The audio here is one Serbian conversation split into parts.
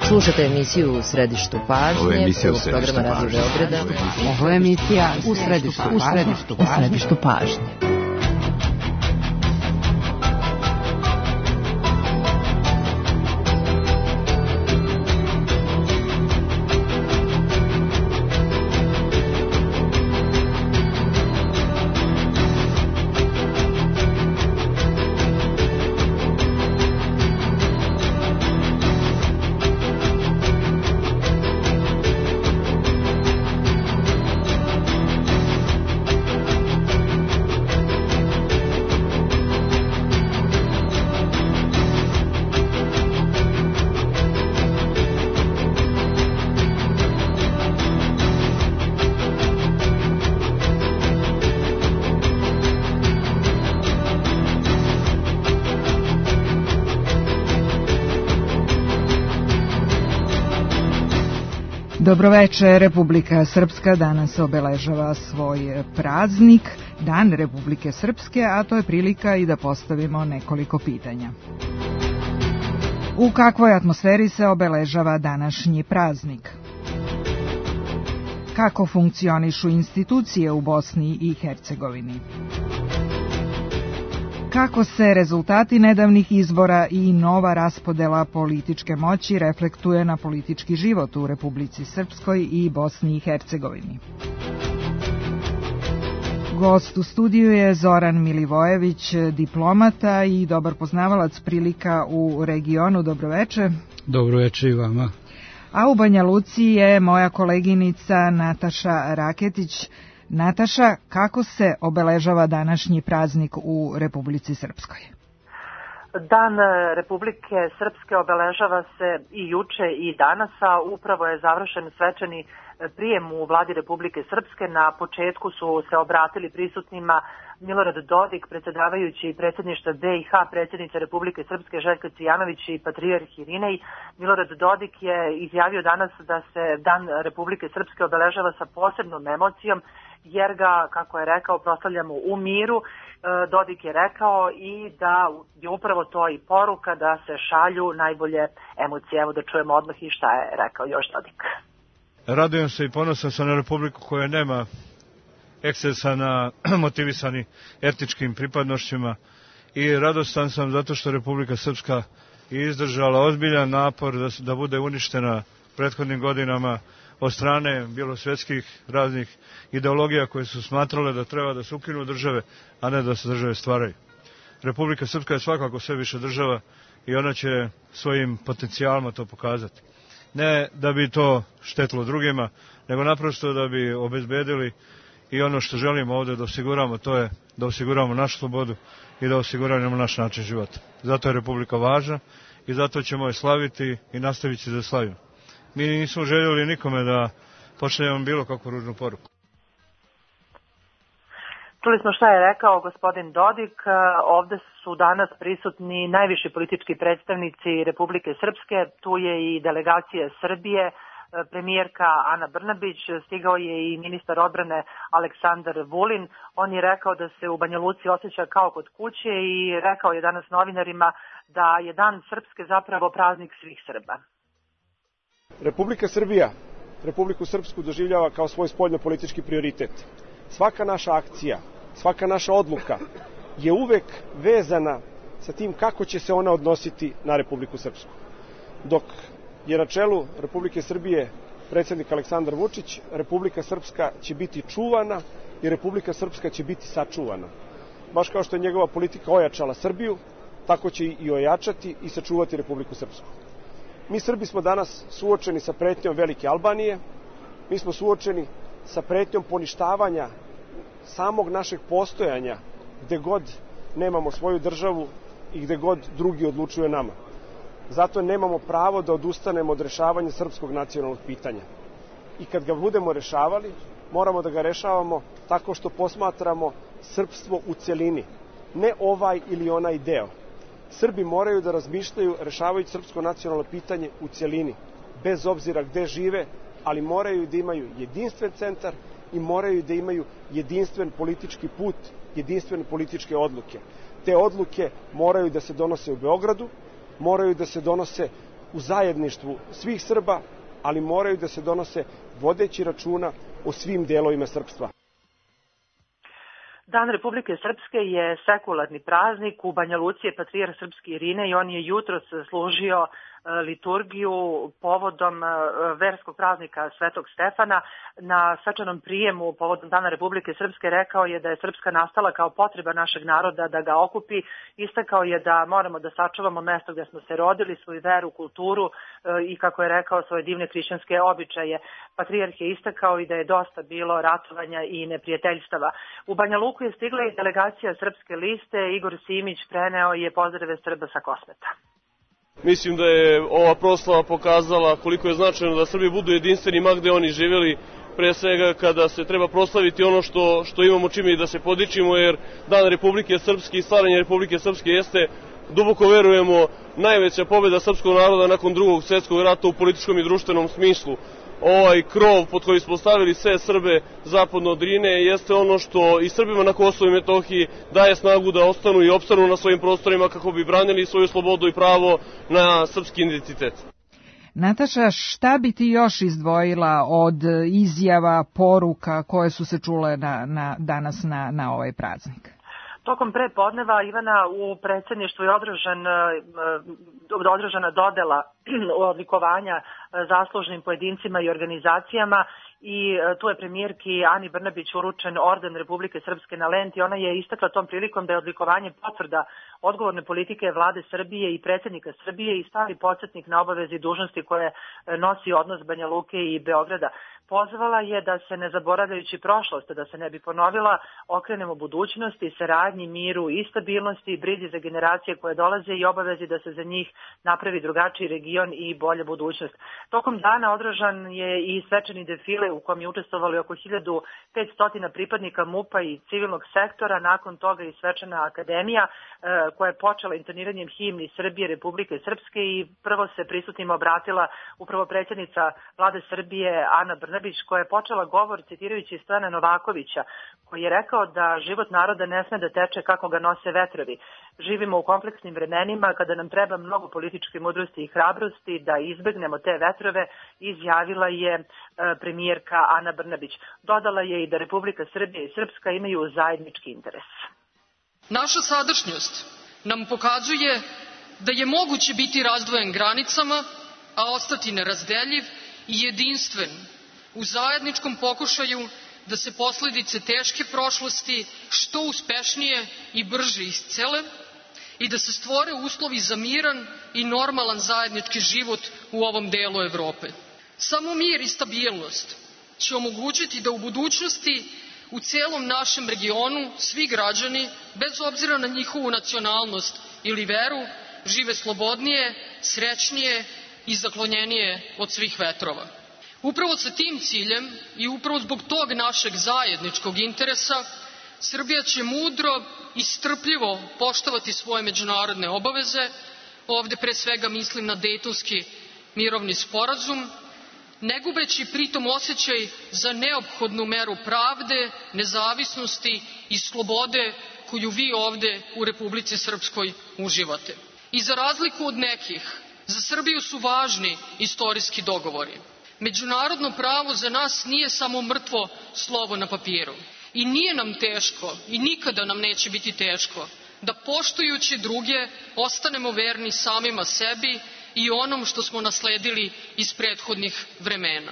Slušate emisiju U središtu pažnje, prvog programa Radio Beograda. Ovo je emisija U središtu pažnje. Dobroveče, Republika Srpska danas obeležava svoj praznik, Dan Republike Srpske, a to je prilika i da postavimo nekoliko pitanja. U kakvoj atmosferi se obeležava današnji praznik? Kako funkcionišu institucije u Bosni i Hercegovini? Kako se rezultati nedavnih izbora i nova raspodela političke moći reflektuje na politički život u Republici Srpskoj i Bosni i Hercegovini? Gost u studiju je Zoran Milivojević, diplomata i dobar poznavalac prilika u regionu. Dobroveče. Dobroveče i vama. A u Banja Luci je moja koleginica Nataša Raketić. Nataša, kako se obeležava današnji praznik u Republici Srpskoj? Dan Republike Srpske obeležava se i juče i danas, a upravo je završen svečani prijem u vladi Republike Srpske. Na početku su se obratili prisutnima Milorad Dodik, predsjedavajući predsjedništva BiH, predsjednica Republike Srpske Željka Cvijanović i patrijarh Irinej. Milorad Dodik je izjavio danas da se Dan Republike Srpske obeležava sa posebnom emocijom, jer ga, kako je rekao, proslavljamo u miru. Dodik je rekao i da je upravo to i poruka da se šalju najbolje emocije. Evo da čujemo odmah i šta je rekao još Dodik. Radujem se i ponosan sam na Republiku koja nema ekscesa na motivisani etničkim pripadnošćima i radostan sam zato što Republika Srpska je izdržala ozbiljan napor da bude uništena prethodnim godinama od strane bilosvetskih raznih ideologija koje su smatrale da treba da se ukinu države, a ne da se države stvaraju. Republika Srpska je svakako sve više država i ona će svojim potencijalima to pokazati. Ne da bi to štetilo drugima, nego naprosto da bi obezbedili i ono što želimo ovdje da osiguramo, to je da osiguramo našu slobodu i da osiguramo naš način života. Zato je Republika važna i zato ćemo je slaviti i nastaviti će da slavimo. Mi nismo željeli nikome da pošaljemo bilo kakvu ružnu poruku. Čuli smo šta je rekao gospodin Dodik. Ovde su danas prisutni najviši politički predstavnici Republike Srpske. Tu je i delegacija Srbije, premijerka Ana Brnabić, stigao je i ministar odbrane Aleksandar Vulin. On je rekao da se u Banja Luci osjeća kao kod kuće i rekao je danas novinarima da je Dan Srpske zapravo praznik svih Srba. Republika Srbija Republiku Srpsku doživljava kao svoj spoljno-politički prioritet. Svaka naša akcija, svaka naša odluka je uvek vezana sa tim kako će se ona odnositi na Republiku Srpsku. Dok je na čelu Republike Srbije predsjednik Aleksandar Vučić, Republika Srpska će biti čuvana i Republika Srpska će biti sačuvana. Baš kao što je njegova politika ojačala Srbiju, tako će i ojačati i sačuvati Republiku Srpsku. Mi Srbi smo danas suočeni sa pretnjom Velike Albanije, mi smo suočeni sa pretnjom poništavanja samog našeg postojanja gde god nemamo svoju državu i gde god drugi odlučuju o nama. Zato nemamo pravo da odustanemo od rešavanja srpskog nacionalnog pitanja. I kad ga budemo rešavali, moramo da ga rešavamo tako što posmatramo srpstvo u celini, ne ovaj ili onaj deo. Srbi moraju da razmišljaju rešavajući srpsko nacionalno pitanje u celini, bez obzira gde žive, ali moraju da imaju jedinstven centar i moraju da imaju jedinstven politički put, jedinstvene političke odluke. Te odluke moraju da se donose u Beogradu, moraju da se donose u zajedništvu svih Srba, ali moraju da se donose vodeći računa o svim delovima srpstva. Dan Republike Srpske je sekularni praznik. U Banja Luci je patrijarh srpski Irine i on je jutros služio liturgiju povodom verskog praznika Svetog Stefana. Na svečanom prijemu povodom Dana Republike Srpske rekao je da je Srpska nastala kao potreba našeg naroda da ga okupi. Istakao je da moramo da sačuvamo mesto gdje smo se rodili, svoju veru, kulturu i, kako je rekao, svoje divne hrišćanske običaje. Patrijarh je istakao i da je dosta bilo ratovanja i neprijateljstava. U Banja Luku je stigla i delegacija Srpske liste. Igor Simić preneo je pozdrave Srba sa Kosmeta. Mislim da je ova proslava pokazala koliko je značajno da Srbi budu jedinstveni ma gde oni živjeli, pre svega kada se treba proslaviti ono što imamo čime i da se podičimo, jer Dan Republike Srpske i stvaranje Republike Srpske jeste, duboko verujemo, najveća pobjeda srpskog naroda nakon Drugog svjetskog rata u političkom i društvenom smislu. Ovaj krov pod koji smo stavili sve Srbe zapadno od Drine jeste ono što i Srbima na Kosovu i Metohiji daje snagu da ostanu i opstanu na svojim prostorima kako bi branili svoju slobodu i pravo na srpski identitet. Nataša, šta bi ti još izdvojila od izjava, poruka koje su se čule danas na ovaj praznik? Tokom prepodneva, Ivana, u predsjedništvu je održana dodela odlikovanja zaslužnim pojedincima i organizacijama i tu je premijerki Ani Brnabić uručen orden Republike Srpske na lenti. Ona je istakla tom prilikom da je odlikovanje potvrda odgovorne politike vlade Srbije i predsjednika Srbije i stari podsjetnik na obaveze i dužnosti koje nosi odnos Banja Luke i Beograda. Pozvala je da se, ne zaboravljajući prošlost, da se ne bi ponovila, okrenemo budućnosti, saradnji, miru i stabilnosti, brizi za generacije koje dolaze i obavezi da se za njih napravi drugačiji region i bolja budućnost. Tokom dana održan je i svečani defile u kom je učestvovali oko 1500 pripadnika MUP-a i civilnog sektora, nakon toga i svečana akademija koja je počela intoniranjem himni Srbije, Republike Srpske i prvo se prisutnima obratila upravo predsjednica vlade Srbije Ana Brnabić, koja je počela govor citirajući Stana Novakovića, koji je rekao da život naroda ne sme da teče kako ga nose vetrovi. Živimo u kompleksnim vremenima kada nam treba mnogo političke mudrosti i hrabrosti da izbegnemo te vetrove, izjavila je premijerka Ana Brnabić. Dodala je i da Republika Srbija i Srpska imaju zajednički interes. Naša sadašnjost nam pokazuje da je moguće biti razdvojen granicama, a ostati nerazdeljiv i jedinstven u zajedničkom pokušaju da se posljedice teške prošlosti što uspešnije i brže iscele i da se stvore uslovi za miran i normalan zajednički život u ovom delu Evrope. Samo mir i stabilnost će omogućiti da u budućnosti u celom našem regionu svi građani, bez obzira na njihovu nacionalnost ili veru, žive slobodnije, srećnije i zaklonjenije od svih vetrova. Upravo sa tim ciljem i upravo zbog tog našeg zajedničkog interesa, Srbija će mudro i strpljivo poštovati svoje međunarodne obaveze, ovde pre svega mislim na Dejtonski mirovni sporazum, ne gubeći pritom osjećaj za neophodnu meru pravde, nezavisnosti i slobode koju vi ovde u Republici Srpskoj uživate. I za razliku od nekih, za Srbiju su važni istorijski dogovori. Međunarodno pravo za nas nije samo mrtvo slovo na papiru. I nije nam teško i nikada nam neće biti teško da poštujući druge ostanemo verni samima sebi i onom što smo nasledili iz prethodnih vremena.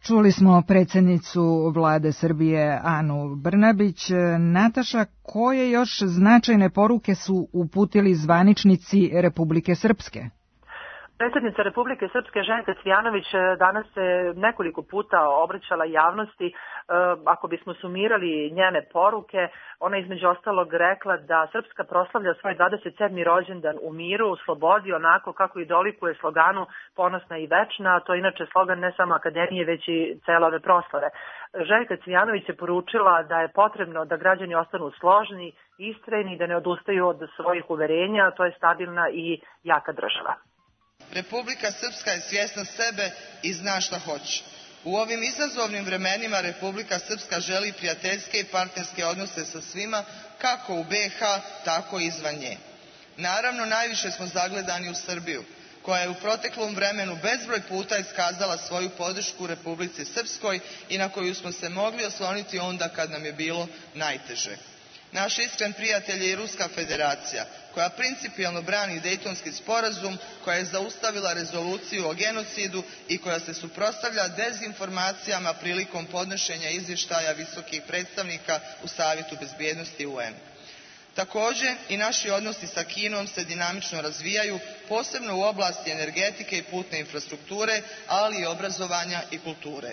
Čuli smo predsjednicu vlade Srbije Anu Brnabić. Nataša, koje još značajne poruke su uputili zvaničnici Republike Srpske? Predsjednica Republike Srpske Željka Cvijanović danas se nekoliko puta obraćala javnosti. Ako bismo sumirali njene poruke, ona između ostalog rekla da Srpska proslavlja svoj 27. rođendan u miru, u slobodi, onako kako i dolikuje sloganu Ponosna i večna, a to je inače slogan ne samo akademije, već i cele ove proslave. Željka Cvijanović je poručila da je potrebno da građani ostanu složni, istrajni i da ne odustaju od svojih uverenja, a to je stabilna i jaka država. Republika Srpska je svjesna sebe i zna šta hoće. U ovim izazovnim vremenima Republika Srpska želi prijateljske i partnerske odnose sa svima, kako u BiH, tako i izvan nje. Naravno, najviše smo zagledani u Srbiju, koja je u proteklom vremenu bezbroj puta iskazala svoju podršku Republici Srpskoj i na koju smo se mogli osloniti onda kad nam je bilo najteže. Naš iskren prijatelj je i Ruska federacija, koja principijelno brani Dejtonski sporazum, koja je zaustavila rezoluciju o genocidu i koja se suprotstavlja dezinformacijama prilikom podnošenja izvještaja visokih predstavnika u Savjetu bezbjednosti UN. Također, i naši odnosi sa Kinom se dinamično razvijaju, posebno u oblasti energetike i putne infrastrukture, ali i obrazovanja i kulture.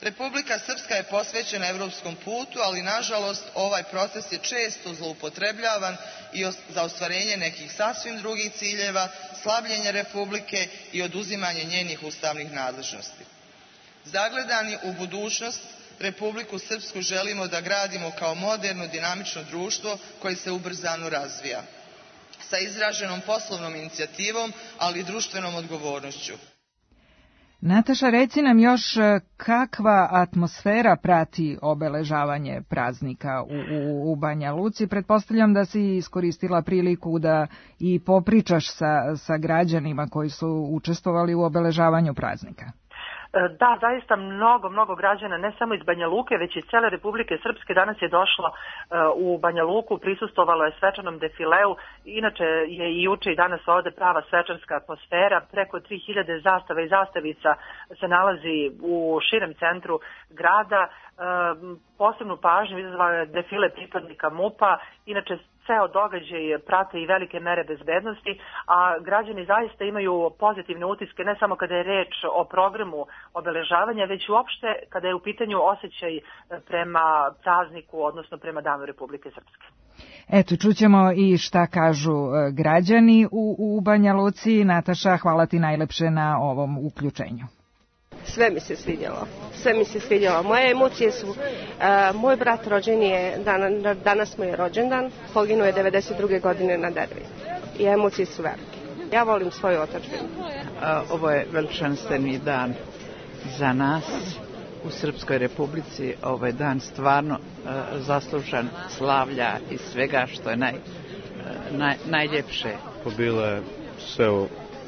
Republika Srpska je posvećena evropskom putu, ali nažalost ovaj proces je često zloupotrebljavan i za ostvarenje nekih sasvim drugih ciljeva, slabljenje Republike i oduzimanje njenih ustavnih nadležnosti. Zagledani u budućnost, Republiku Srpsku želimo da gradimo kao moderno, dinamično društvo koje se ubrzano razvija, sa izraženom poslovnom inicijativom, ali i društvenom odgovornošću. Nataša, reci nam još kakva atmosfera prati obeležavanje praznika u Banja Luci. Pretpostavljam da si iskoristila priliku da i popričaš sa građanima koji su učestvovali u obeležavanju praznika. Da, zaista mnogo građana, ne samo iz Banja Luke, već iz cele Republike Srpske danas je došlo u Banja Luku, prisustvovalo je svečanom defileu. Inače je i juče i danas ovde prava svečarska atmosfera. Preko 3000 zastava i zastavica se nalazi u širem centru grada. Posebnu pažnju izazvao je defile pripadnika MUP-a. Inače, ceo događaj prate i velike mere bezbednosti, a građani zaista imaju pozitivne utiske ne samo kada je reč o programu obeležavanja, već uopšte kada je u pitanju osjećaj prema prazniku, odnosno prema Danu Republike Srpske. Eto, čućemo i šta kažu građani u Banja Luci. Nataša, hvala ti najlepše na ovom uključenju. Sve mi se svidjelo. Moje emocije su, moj brat rođen je, danas mu je rođendan, poginuo je 92. godine na Dervi. I emocije su velike. Ja volim svoju otadžbinu. Ovo je veličanstveni dan za nas u Srpskoj Republici. Ovo je dan stvarno zaslužan slavlja i svega što je najljepše. Bilo je sve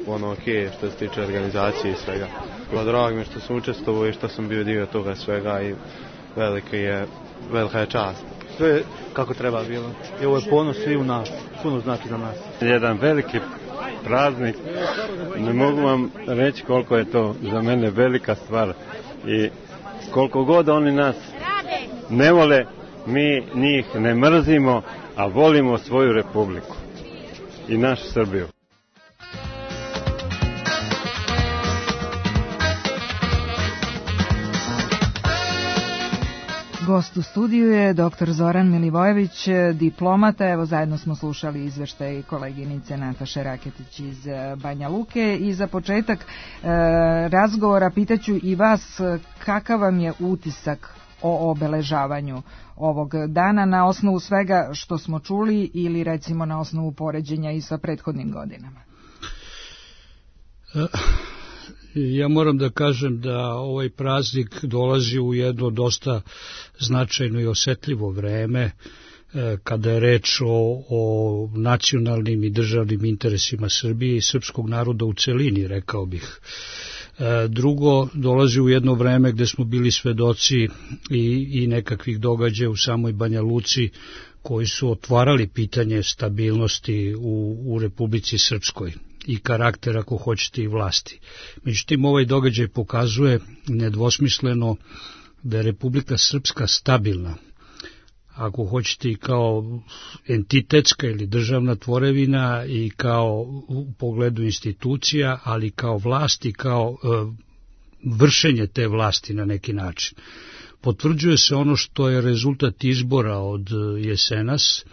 ono okej što se tiče organizacije i svega. Drago mi je što sam učestvovao i što sam bio dio toga svega i velika je čast. Sve kako treba bilo. I ovo je ponos svi u nas, puno znači za nas. Jedan veliki praznik, ne mogu vam reći koliko je to za mene velika stvar i koliko god oni nas ne vole, mi njih ne mrzimo, a volimo svoju republiku i našu Srbiju. Gost u studiju je dr. Zoran Milivojević, diplomata. Evo, zajedno smo slušali izveštaj koleginice Nataše Raketić iz Banja Luke. I za početak razgovora pitaću i vas kakav vam je utisak o obeležavanju ovog dana na osnovu svega što smo čuli ili recimo na osnovu poređenja i sa prethodnim godinama? Ja moram da kažem da ovaj praznik dolazi u jedno dosta značajno i osetljivo vreme kada je reč o nacionalnim i državnim interesima Srbije i srpskog naroda u celini, rekao bih. Drugo, dolazi u jedno vreme gde smo bili svedoci i nekakvih događaja u samoj Banja Luci koji su otvarali pitanje stabilnosti u Republici Srpskoj i karakter, ako hoćete, i vlasti. Međutim, ovaj događaj pokazuje nedvosmisleno da je Republika Srpska stabilna, ako hoćete i kao entitetska ili državna tvorevina i kao u pogledu institucija, ali kao vlast i kao vršenje te vlasti na neki način. Potvrđuje se ono što je rezultat izbora od jesenas,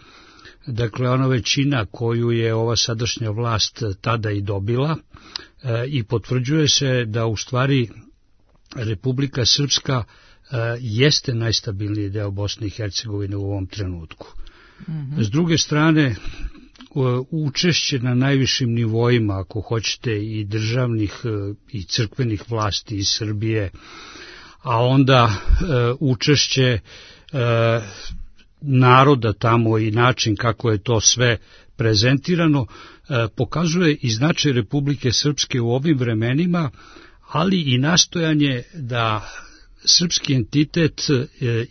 dakle ona većina koju je ova sadašnja vlast tada i dobila, i potvrđuje se da u stvari Republika Srpska jeste najstabilniji deo Bosne i Hercegovine u ovom trenutku. S druge strane, učešće na najvišim nivoima, ako hoćete, i državnih i crkvenih vlasti iz Srbije, a onda učešće naroda tamo i način kako je to sve prezentirano, pokazuje i značaj Republike Srpske u ovim vremenima, ali i nastojanje da srpski entitet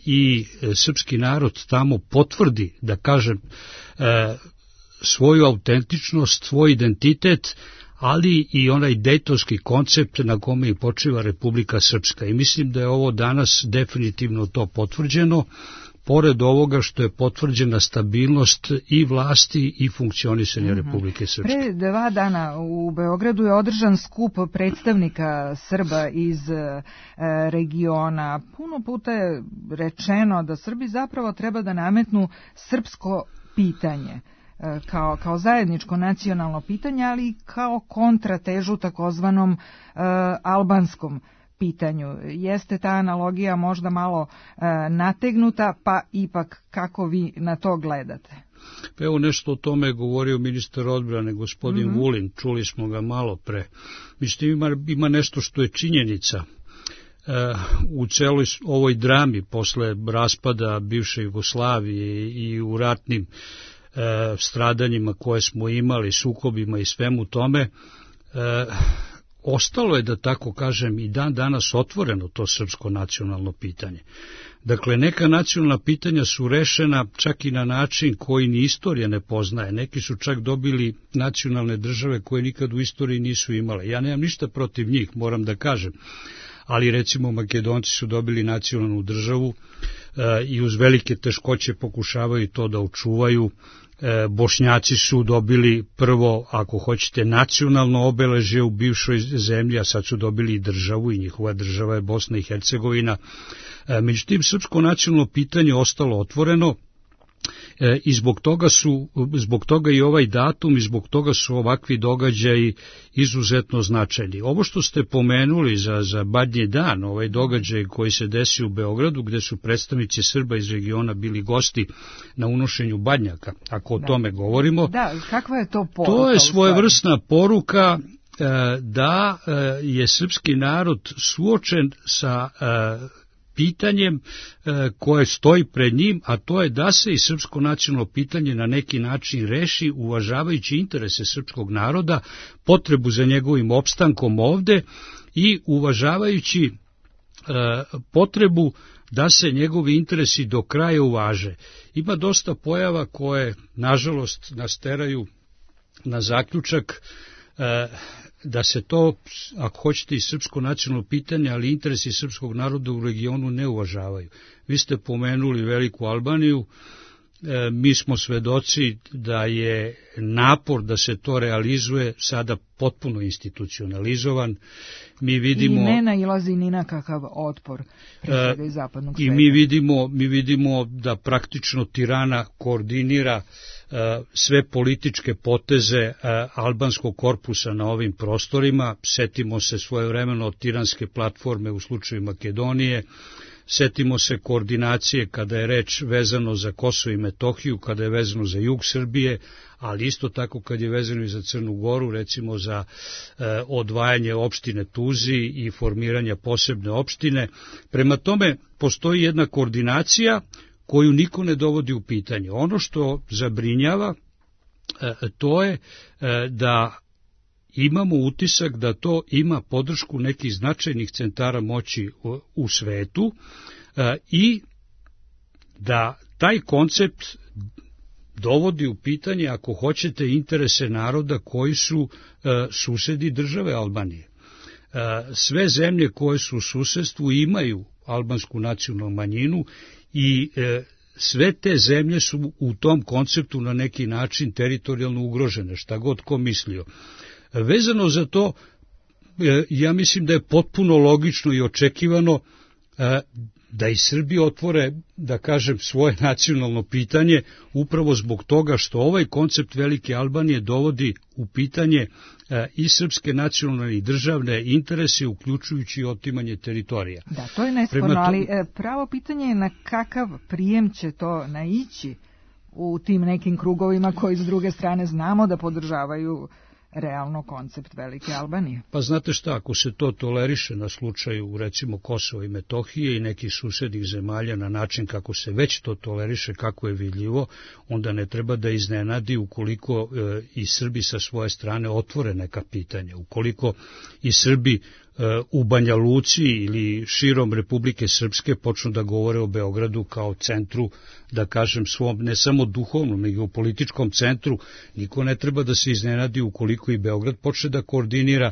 i srpski narod tamo potvrdi, da kažem, svoju autentičnost, svoj identitet, ali i onaj dejtonski koncept na kome i počiva Republika Srpska. I mislim da je ovo danas definitivno to potvrđeno, pored ovoga što je potvrđena stabilnost i vlasti i funkcionisanja Republike Srpske. Pre 2 dana u Beogradu je održan skup predstavnika Srba iz regiona. Puno puta je rečeno da Srbi zapravo treba da nametnu srpsko pitanje kao zajedničko nacionalno pitanje, ali i kao kontratežu takozvanom albanskom pitanju. Jeste ta analogija možda malo nategnuta, pa ipak kako vi na to gledate? Evo nešto o tome je govorio ministar odbrane, gospodin Vulin, čuli smo ga malo pre. Mislim, ima nešto što je činjenica. U celoj ovoj drami posle raspada bivše Jugoslavije i u ratnim stradanjima koje smo imali, sukobima i svemu tome, ostalo je, da tako kažem, i dan danas otvoreno to srpsko nacionalno pitanje. Dakle, neka nacionalna pitanja su rešena čak i na način koji ni istorija ne poznaje. Neki su čak dobili nacionalne države koje nikad u istoriji nisu imale. Ja nemam ništa protiv njih, moram da kažem. Ali recimo Makedonci su dobili nacionalnu državu i uz velike teškoće pokušavaju to da očuvaju. Bošnjaci su dobili prvo, ako hoćete, nacionalno obeležje u bivšoj zemlji, a sad su dobili i državu i njihova država je Bosna i Hercegovina. Međutim, srpsko nacionalno pitanje ostalo otvoreno i zbog toga i ovaj datum i zbog toga su ovakvi događaji izuzetno značajni. Ovo što ste pomenuli za Badnji dan, ovaj događaj koji se desi u Beogradu, gde su predstavnici Srba iz regiona bili gosti na unošenju badnjaka, ako o tome govorimo. Da, kakva je to poruka? To je svojevrsna poruka da je srpski narod suočen sa pitanjem koje stoji pred njim, a to je da se i srpsko nacionalno pitanje na neki način reši uvažavajući interese srpskog naroda, potrebu za njegovim opstankom ovde i uvažavajući potrebu da se njegovi interesi do kraja uvaže. Ima dosta pojava koje, nažalost, nas teraju na zaključak da se to, ako hoćete, i srpsko nacionalno pitanje, ali interesi srpskog naroda u regionu ne uvažavaju. Vi ste pomenuli Veliku Albaniju, mi smo svedoci da je napor da se to realizuje sada potpuno institucionalizovan. Mi vidimo, i ne nailazi ni na kakav otpor pre svega iz zapadnog sveta. I mi vidimo da praktično Tirana koordinira sve političke poteze albanskog korpusa na ovim prostorima. Setimo se svojevremeno od tiranske platforme u slučaju Makedonije, setimo se koordinacije kada je reč vezano za Kosovo i Metohiju, kada je vezano za jug Srbije, ali isto tako kad je vezano i za Crnu Goru, recimo za odvajanje opštine Tuzi i formiranja posebne opštine. Prema tome, postoji jedna koordinacija koju niko ne dovodi u pitanje. Ono što zabrinjava, to je da imamo utisak da to ima podršku nekih značajnih centara moći u svetu i da taj koncept dovodi u pitanje, ako hoćete, interese naroda koji su susedi države Albanije. Sve zemlje koje su u susedstvu imaju albansku nacionalnu manjinu i sve te zemlje su u tom konceptu na neki način teritorijalno ugrožene, šta god ko mislio. Vezano za to, ja mislim da je potpuno logično i očekivano da i Srbi otvore, da kažem, svoje nacionalno pitanje, upravo zbog toga što ovaj koncept Velike Albanije dovodi u pitanje i srpske nacionalne i državne interese, uključujući otimanje teritorija. Da, to je nesporno, ali pravo pitanje je na kakav prijem će to naići u tim nekim krugovima koji s druge strane znamo da podržavaju realno koncept Velike Albanije? Pa znate šta, ako se to toleriše na slučaju recimo Kosova i Metohije i nekih susednih zemalja na način kako se već to toleriše, kako je vidljivo, onda ne treba da iznenadi ukoliko i Srbi sa svoje strane otvore neka pitanja. Ukoliko i Srbi u Banja Luci ili širom Republike Srpske počnu da govore o Beogradu kao centru, da kažem svom, ne samo duhovnom, nego u političkom centru, niko ne treba da se iznenadi ukoliko i Beograd počne da koordinira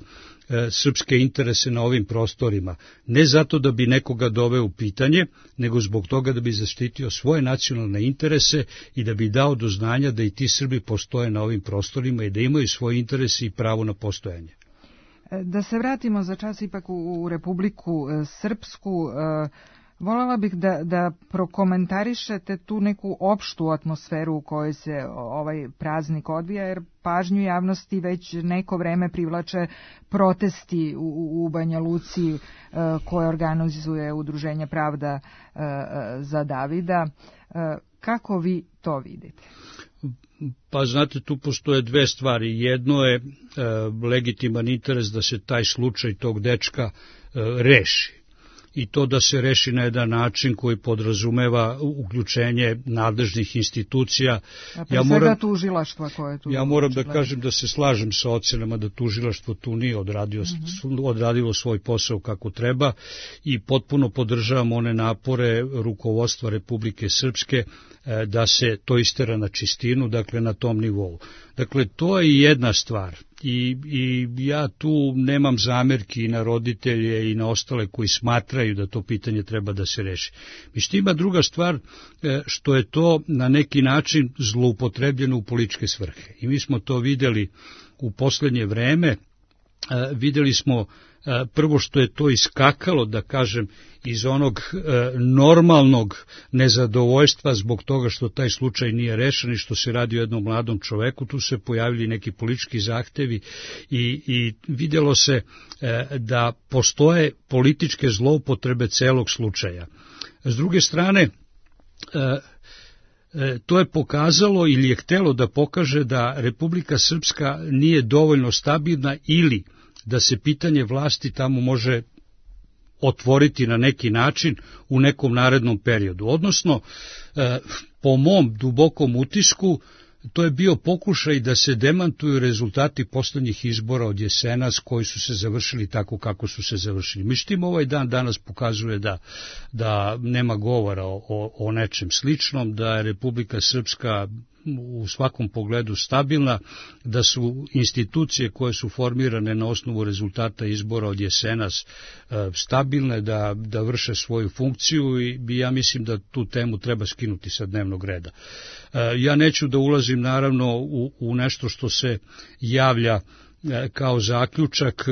srpske interese na ovim prostorima. Ne zato da bi nekoga doveo u pitanje, nego zbog toga da bi zaštitio svoje nacionalne interese i da bi dao do znanja da i ti Srbi postoje na ovim prostorima i da imaju svoje interese i pravo na postojanje. Da se vratimo za čas ipak u Republiku Srpsku, voljela bih da prokomentarišete tu neku opštu atmosferu u kojoj se ovaj praznik odvija, jer pažnju javnosti već neko vreme privlače protesti u Banja Luci koje organizuje Udruženje Pravda za Davida. Kako vi to vidite? Pa znate, tu postoje dve stvari. Jedno je legitiman interes da se taj slučaj tog dečka reši. I to da se reši na jedan način koji podrazumeva uključenje nadležnih institucija. Tužilaštva koje tu... Ja moram da kažem da se slažem sa ocenama da tužilaštvo tu nije odradilo svoj posao kako treba i potpuno podržavam one napore rukovodstva Republike Srpske da se to istera na čistinu, dakle na tom nivou. Dakle, to je jedna stvar i ja tu nemam zamerki na roditelje i na ostale koji smatraju da to pitanje treba da se reši. Međutim, ima druga stvar što je to na neki način zloupotrebljeno u političke svrhe. I mi smo to vidjeli u poslednje vreme, vidjeli smo prvo što je to iskakalo, da kažem, iz onog normalnog nezadovoljstva zbog toga što taj slučaj nije rešen i što se radi o jednom mladom čoveku, tu se pojavili neki politički zahtevi i vidjelo se da postoje političke zloupotrebe celog slučaja. S druge strane, to je pokazalo ili je htelo da pokaže da Republika Srpska nije dovoljno stabilna ili da se pitanje vlasti tamo može otvoriti na neki način u nekom narednom periodu. Odnosno, po mom dubokom utisku, to je bio pokušaj da se demantuju rezultati poslednjih izbora od jesenas koji su se završili tako kako su se završili. Međutim, ovaj dan danas pokazuje da nema govora o nečem sličnom, da je Republika Srpska u svakom pogledu stabilna, da su institucije koje su formirane na osnovu rezultata izbora od jesenas stabilne, da vrše svoju funkciju i ja mislim da tu temu treba skinuti sa dnevnog reda. Ja neću da ulazim naravno u nešto što se javlja kao zaključak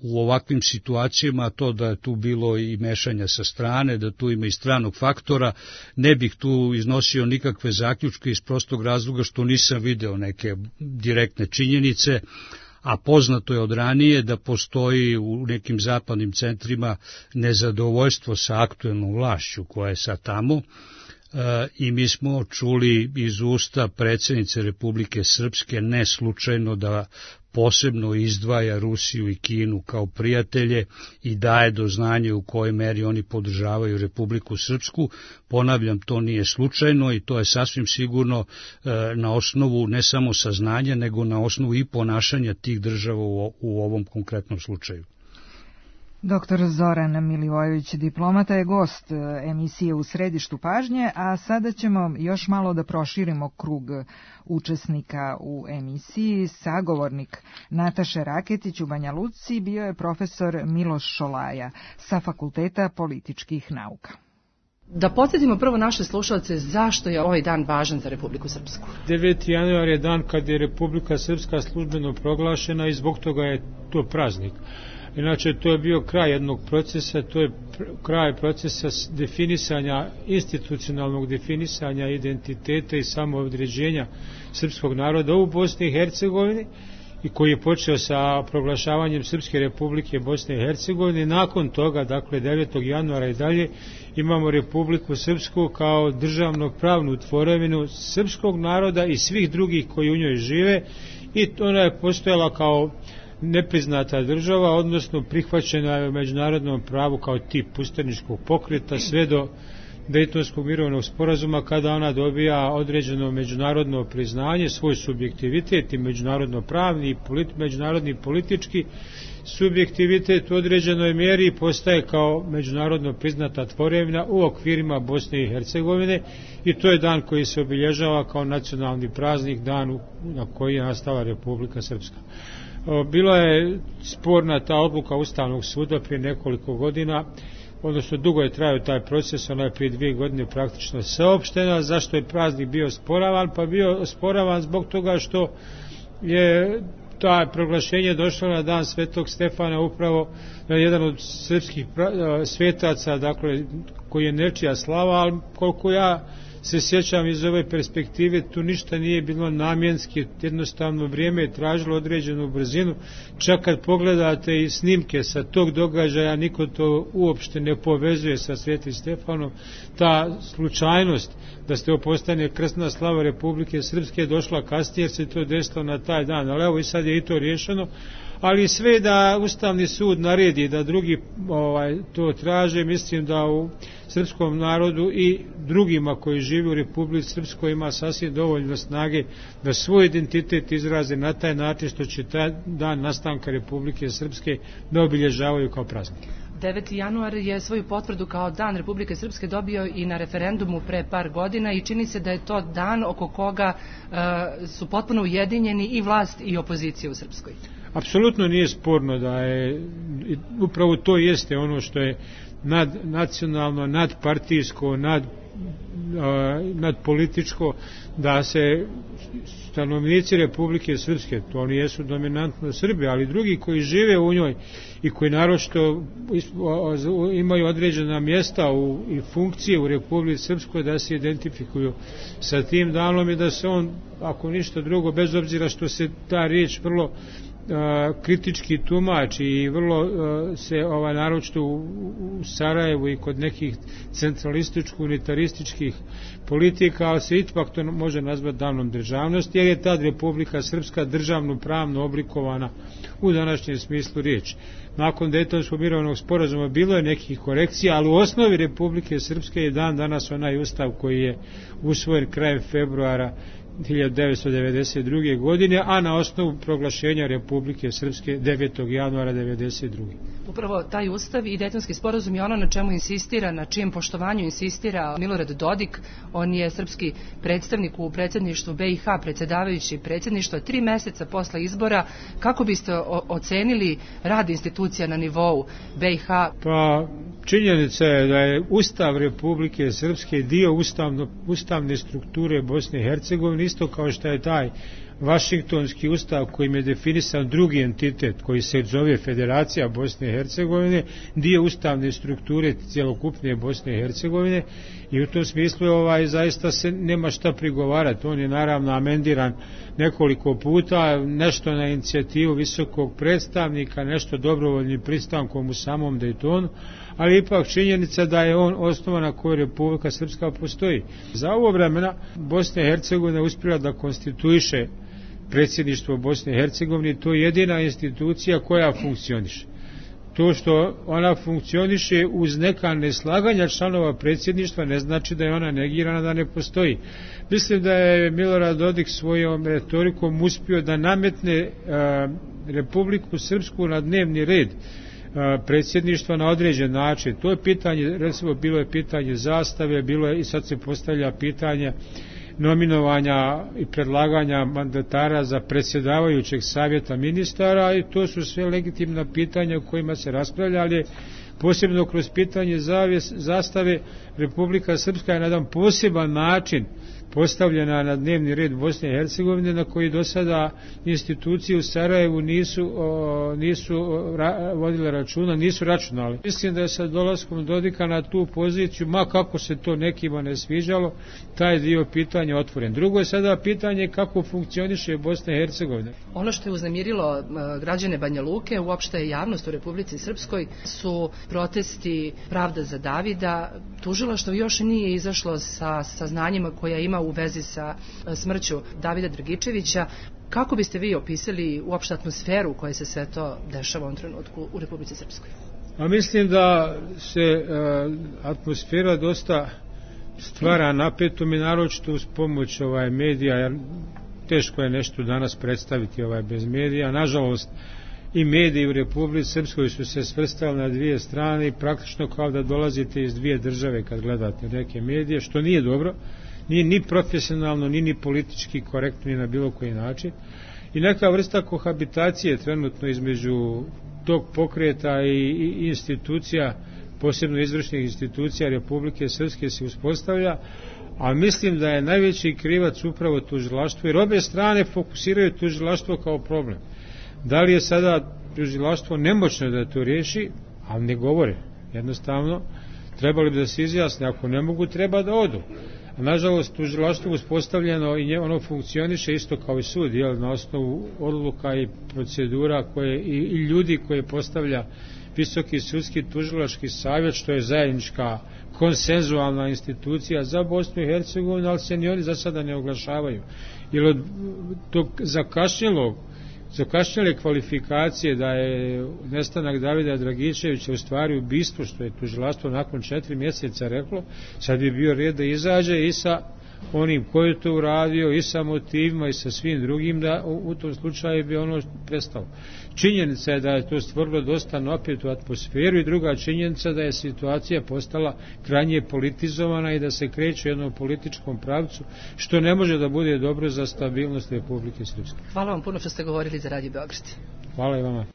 u ovakvim situacijama, to da je tu bilo i mešanja sa strane, da tu ima i stranog faktora, ne bih tu iznosio nikakve zaključke iz prostog razloga što nisam video neke direktne činjenice, a poznato je od ranije da postoji u nekim zapadnim centrima nezadovoljstvo sa aktuelnom vlašću koja je sad tamo, i mi smo čuli iz usta predsjednice Republike Srpske ne slučajno da posebno izdvaja Rusiju i Kinu kao prijatelje i daje do znanja u kojoj meri oni podržavaju Republiku Srpsku. Ponavljam, to nije slučajno i to je sasvim sigurno na osnovu ne samo saznanja, nego na osnovu i ponašanja tih država u ovom konkretnom slučaju. Dr. Zoran Milivojević, diplomata, je gost emisije U središtu pažnje, a sada ćemo još malo da proširimo krug učesnika u emisiji. Sagovornik Nataše Raketić u Banja Luci bio je profesor Miloš Šolaja sa Fakulteta političkih nauka. Da podsjetimo prvo naše slušalce zašto je ovaj dan važan za Republiku Srpsku. 9. januar je dan kad je Republika Srpska službeno proglašena i zbog toga je to praznik. Inače, to je bio kraj jednog procesa, to je kraj procesa definisanja, institucionalnog definisanja identiteta i samoodređenja srpskog naroda u Bosni i Hercegovini i koji je počeo sa proglašavanjem Srpske republike Bosne i Hercegovine. Nakon toga, dakle 9. januara i dalje, imamo Republiku Srpsku kao državno pravnu tvorevinu srpskog naroda i svih drugih koji u njoj žive i ona je postojala kao nepriznata država, odnosno prihvaćena je u međunarodnom pravu kao tip ustaničkog pokreta sve do Dejtonskog mirovnog sporazuma, kada ona dobija određeno međunarodno priznanje, svoj subjektivitet i međunarodno pravni i međunarodni politički subjektivitet u određenoj mjeri postaje kao međunarodno priznata tvorevina u okvirima Bosne i Hercegovine, i to je dan koji se obilježava kao nacionalni praznik, dan na koji je nastala Republika Srpska. Bila je sporna ta odluka Ustavnog suda prije nekoliko godina, odnosno dugo je trajao taj proces, ona je prije 2 godine praktično saopštena. Zašto je praznik bio osporavan? Pa bio osporavan zbog toga što je ta proglašenje došlo na dan Svetog Stefana, upravo jedan od srpskih svetaca, dakle, koji je nečija slava, ali koliko ja se sjećam iz ove perspektive, tu ništa nije bilo namjenski, jednostavno vrijeme je tražilo određenu brzinu. Čak kad pogledate i snimke sa tog događaja, niko to uopšte ne povezuje sa Svetim Stefanom. Ta slučajnost da se postane krsna slava Republike Srpske je došla kasnije, jer se to desilo na taj dan, ali evo i sad je i to riješeno. Ali sve da Ustavni sud naredi da drugi to traže, mislim da u srpskom narodu i drugima koji žive u Republici Srpskoj ima sasvim dovoljno snage da svoj identitet izraze na taj način što će taj dan nastanka Republike Srpske da obilježavaju kao praznik. 9. januar je svoju potvrdu kao dan Republike Srpske dobio i na referendumu pre par godina, i čini se da je to dan oko koga su potpuno ujedinjeni i vlast i opozicija u Srpskoj. Apsolutno nije sporno da je, upravo to jeste ono što je nadnacionalno, nadpartijsko, nadpolitičko, da se stanovnici Republike Srpske, to oni jesu dominantno Srbi, ali drugi koji žive u njoj i koji naročito imaju određena mjesta i funkcije u Republici Srpskoj, da se identifikuju sa tim danom i da se on, ako ništa drugo, bez obzira što se ta riječ vrlo kritički tumači i vrlo se naročito u Sarajevu i kod nekih centralističko-unitarističkih politika, ali se ipak to može nazvati danom državnosti, jer je tad Republika Srpska državno pravno oblikovana u današnjem smislu riječi. Nakon Dejtonskog mirovnog sporazuma bilo je nekih korekcija, ali u osnovi Republike Srpske je dan danas onaj ustav koji je usvojen krajem februara 1992. godine, a na osnovu proglašenja Republike Srpske 9. januara 1992. Upravo taj ustav i Dejtonski sporazum je ono na čemu insistira, na čijem poštovanju insistira Milorad Dodik. On je srpski predstavnik u predsjedništvu BiH, predsjedavajući predsjedništva 3 mjeseca posle izbora. Kako biste ocenili rad institucija na nivou BiH? Pa, činjenica je da je Ustav Republike Srpske dio ustavne strukture Bosne i Hercegovine, isto kao što je taj Vašingtonski ustav kojim je definisan drugi entitet koji se zove Federacija Bosne i Hercegovine, dio ustavne strukture cjelokupne Bosne i Hercegovine, i u tom smislu zaista se nema šta prigovarati. On je naravno amendiran nekoliko puta, nešto na inicijativu visokog predstavnika, nešto dobrovoljnim pristankom u samom Dejtonu, ali ipak činjenica da je on osnova na kojoj Republika Srpska postoji. Za ovo vremena Bosna i Hercegovina uspjela da konstituiše predsjedništvo Bosne i Hercegovine, to je jedina institucija koja funkcioniše. To što ona funkcioniše uz neka neslaganja članova predsjedništva ne znači da je ona negirana, da ne postoji. Mislim da je Milorad Dodik svojom retorikom uspio da nametne Republiku Srpsku na dnevni red predsjedništva na određen način. To je pitanje, recimo bilo je pitanje zastave, bilo je i sad se postavlja pitanje nominovanja i predlaganja mandatara za predsjedavajućeg savjeta ministara, i to su sve legitimna pitanja o kojima se raspravlja, ali posebno kroz pitanje zastave Republika Srpska je na jedan poseban način postavljena na dnevni red Bosne i Hercegovine, na koji do sada institucije u Sarajevu nisu vodile računa, nisu računali. Mislim da je sa dolaskom Dodika na tu poziciju, ma kako se to nekima ne sviđalo, taj dio pitanja otvoren. Drugo je sada pitanje kako funkcioniše Bosna i Hercegovina. Ono što je uznemirilo građane Banja Luke, uopšte javnost u Republici Srpskoj, su protesti Pravda za Davida. Tužilaštvo još nije izašlo sa saznanjima koja ima u vezi sa smrću Davida Dragičevića. Kako biste vi opisali uopšte atmosferu u kojoj se sve to dešava u ovom trenutku u Republici Srpskoj? A mislim da se atmosfera dosta stvara napetom i naročito uz pomoć medija, jer teško je nešto danas predstaviti bez medija. Nažalost, i mediji u Republici Srpskoj su se svrstali na dvije strane i praktično kao da dolazite iz dvije države kad gledate neke medije, što nije dobro, nije ni profesionalno, ni politički korektno, ni na bilo koji način. I neka vrsta kohabitacije trenutno između tog pokreta i institucija, posebno izvršnih institucija Republike Srpske se uspostavlja, a mislim da je najveći krivac upravo tužilaštvo, jer obje strane fokusiraju tužilaštvo kao problem. Da li je sada tužilaštvo nemoćno da to riješi, ali ne govore. Jednostavno, trebali bi da se izjasne, ako ne mogu, treba da odu. A nažalost, tužilaštvo uspostavljeno i ono funkcioniše isto kao i sud, na osnovu odluka i procedura i ljudi koje postavlja Visoki sudski tužilački savjet, što je zajednička konsenzualna institucija za Bosnu i Hercegovinu, ali se ni oni za sada ne oglašavaju. Jer od tog zakašnjele kvalifikacije da je nestanak Davida Dragičevića u stvari ubistvo, što je tužilaštvo nakon 4 mjeseca reklo, sad bi bio red da izađe i sa onim koji je to uradio, i sa motivima i sa svim drugim, da u tom slučaju bi ono prestalo. Činjenica je da je to stvorilo dosta napetu atmosferu i druga činjenica da je situacija postala krajnje politizovana i da se kreće u jednom političkom pravcu, što ne može da bude dobro za stabilnost Republike Srpske. Hvala vam puno što ste govorili za Radio Beograd. Hvala i vama.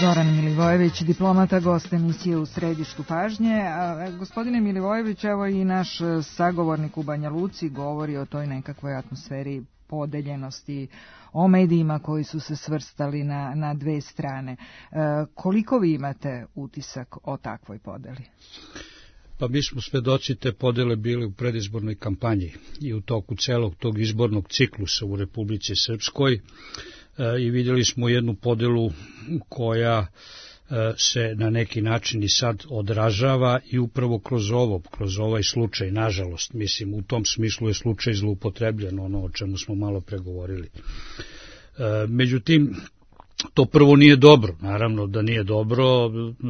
Zoran Milivojević, diplomata, gost emisije U središtu pažnje. Gospodine Milivojević, evo i naš sagovornik u Banja Luci govori o toj nekakvoj atmosferi podeljenosti, o medijima koji su se svrstali na dve strane. Koliko vi imate utisak o takvoj podeli? Pa mi smo svedoci te podele bili u predizbornoj kampanji i u toku celog tog izbornog ciklusa u Republici Srpskoj, i vidjeli smo jednu podelu koja se na neki način i sad odražava i upravo kroz ovaj slučaj, nažalost, mislim, u tom smislu je slučaj zloupotrebljen, ono o čemu smo malo pregovorili. Međutim, to prvo nije dobro, naravno da nije dobro,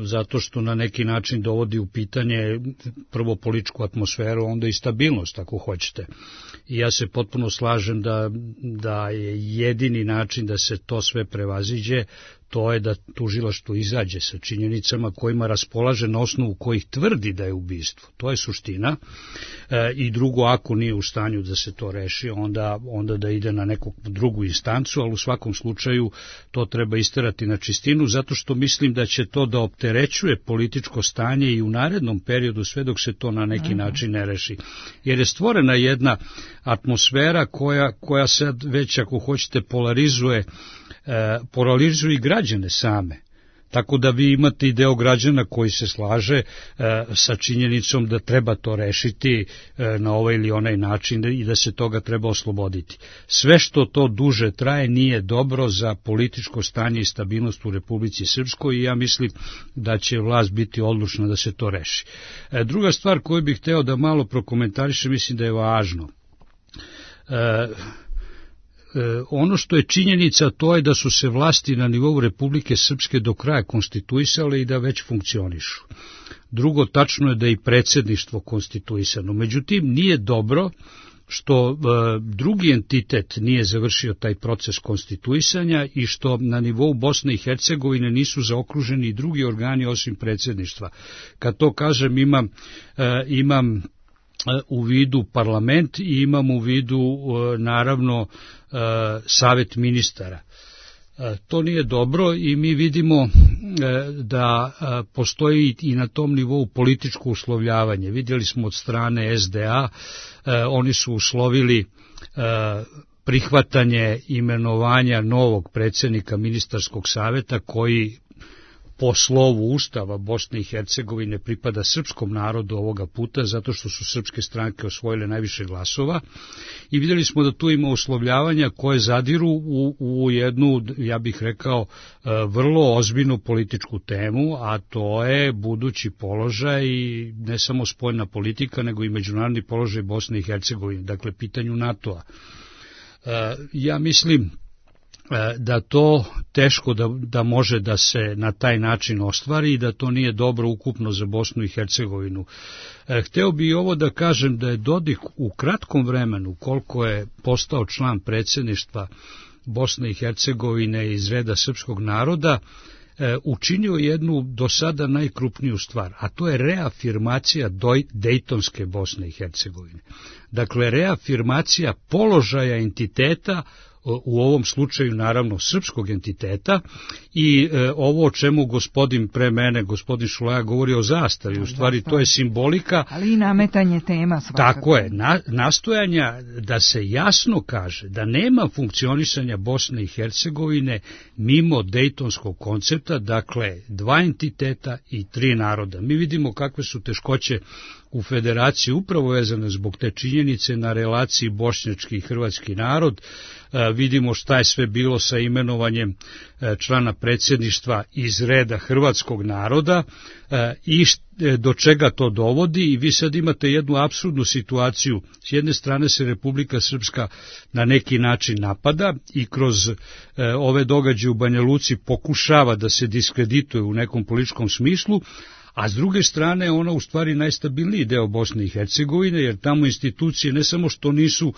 zato što na neki način dovodi u pitanje prvo političku atmosferu, onda i stabilnost, ako hoćete. I ja se potpuno slažem da je jedini način da se to sve prevaziđe, to je da tužilaštvo izađe sa činjenicama kojima raspolaže na osnovu kojih tvrdi da je ubistvo. To je suština. I drugo, ako nije u stanju da se to reši, onda da ide na neku drugu instancu, ali u svakom slučaju to treba isterati na čistinu, zato što mislim da će to da opterećuje političko stanje i u narednom periodu, sve dok se to na neki način ne reši. Jer je stvorena jedna atmosfera koja sad već, ako hoćete, polarizuje i građane same. Tako da vi imate i deo građana koji se slaže sa činjenicom da treba to rešiti na ovaj ili onaj način i da se toga treba osloboditi. Sve što to duže traje nije dobro za političko stanje i stabilnost u Republici Srpskoj i ja mislim da će vlast biti odlučna da se to reši. Druga stvar koju bih hteo da malo prokomentarišem, mislim da je važno. Ono što je činjenica, to je da su se vlasti na nivou Republike Srpske do kraja konstituisale i da već funkcionišu. Drugo, tačno je da je i predsjedništvo konstituisano. Međutim, nije dobro što drugi entitet nije završio taj proces konstituisanja i što na nivou Bosne i Hercegovine nisu zaokruženi i drugi organi osim predsjedništva. Kad to kažem, imam u vidu parlament i imam u vidu naravno savet ministara. To nije dobro i mi vidimo da postoji i na tom nivou političko uslovljavanje. Vidjeli smo od strane SDA, oni su uslovili prihvatanje imenovanja novog predsjednika ministarskog saveta koji po slovu Ustava Bosne i Hercegovine pripada srpskom narodu ovoga puta, zato što su srpske stranke osvojile najviše glasova, i vidjeli smo da tu ima uslovljavanja koje zadiru u jednu, ja bih rekao, vrlo ozbiljnu političku temu, a to je budući položaj i ne samo spoljna politika, nego i međunarodni položaj Bosne i Hercegovine, dakle pitanju NATO-a. Ja mislim da to teško da može da se na taj način ostvari i da to nije dobro ukupno za Bosnu i Hercegovinu. Hteo bi i ovo da kažem da je Dodik u kratkom vremenu, koliko je postao član predsjedništva Bosne i Hercegovine iz reda srpskog naroda, učinio jednu do sada najkrupniju stvar, a to je reafirmacija Dejtonske Bosne i Hercegovine. Dakle, reafirmacija položaja entiteta, u ovom slučaju naravno srpskog entiteta, i ovo o čemu gospodin pre mene, gospodin Šulaja, govori o zastavi, u stvari to je simbolika. Ali i nametanje tema svakako. Tako je, nastojanja da se jasno kaže da nema funkcionisanja Bosne i Hercegovine mimo dejtonskog koncepta, dakle 2 entiteta i 3 naroda. Mi vidimo kakve su teškoće u federaciji upravo vezane zbog te činjenice na relaciji bošnjački i hrvatski narod. Vidimo šta je sve bilo sa imenovanjem člana predsjedništva iz reda hrvatskog naroda i do čega to dovodi, i vi sad imate jednu apsurdnu situaciju. S jedne strane se Republika Srpska na neki način napada i kroz ove događaje u Banja Luci pokušava da se diskredituje u nekom političkom smislu, a s druge strane ona u stvari najstabilniji deo Bosne i Hercegovine, jer tamo institucije ne samo što nisu